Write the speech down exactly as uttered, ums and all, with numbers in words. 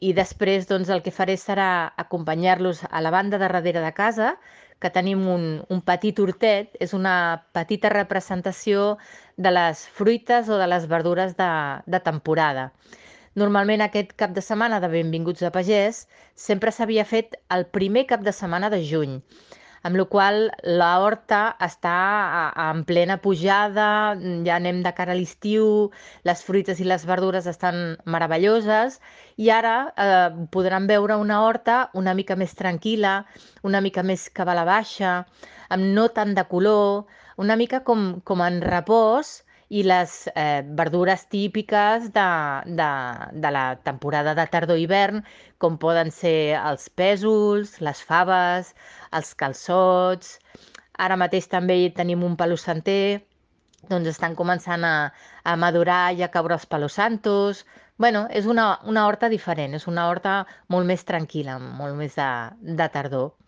i després doncs, el que faré serà acompanyar-los a la banda de darrere de casa, que tenim un, un petit hortet, és una petita representació de les fruites o de les verdures de, de temporada. Normalment aquest cap de setmana de Benvinguts a Pagès sempre s'havia fet el primer cap de setmana de juny, amb la qual cosa la horta està a, a, en plena pujada, ja anem de cara a l'estiu, les fruites i les verdures estan meravelloses i ara eh, podran veure una horta una mica més tranquil·la, una mica més cabal a baixa, amb no tant de color, una mica com, com en repòs i les eh, verdures típiques de, de, de la temporada de tardor-hivern, com poden ser els pèsols, les faves, els calçots. Ara mateix també tenim un palo santer, doncs estan començant a, a madurar i a caure els palos santos. Bueno, és una, una horta diferent, és una horta molt més tranquil·la, molt més de, de tardor.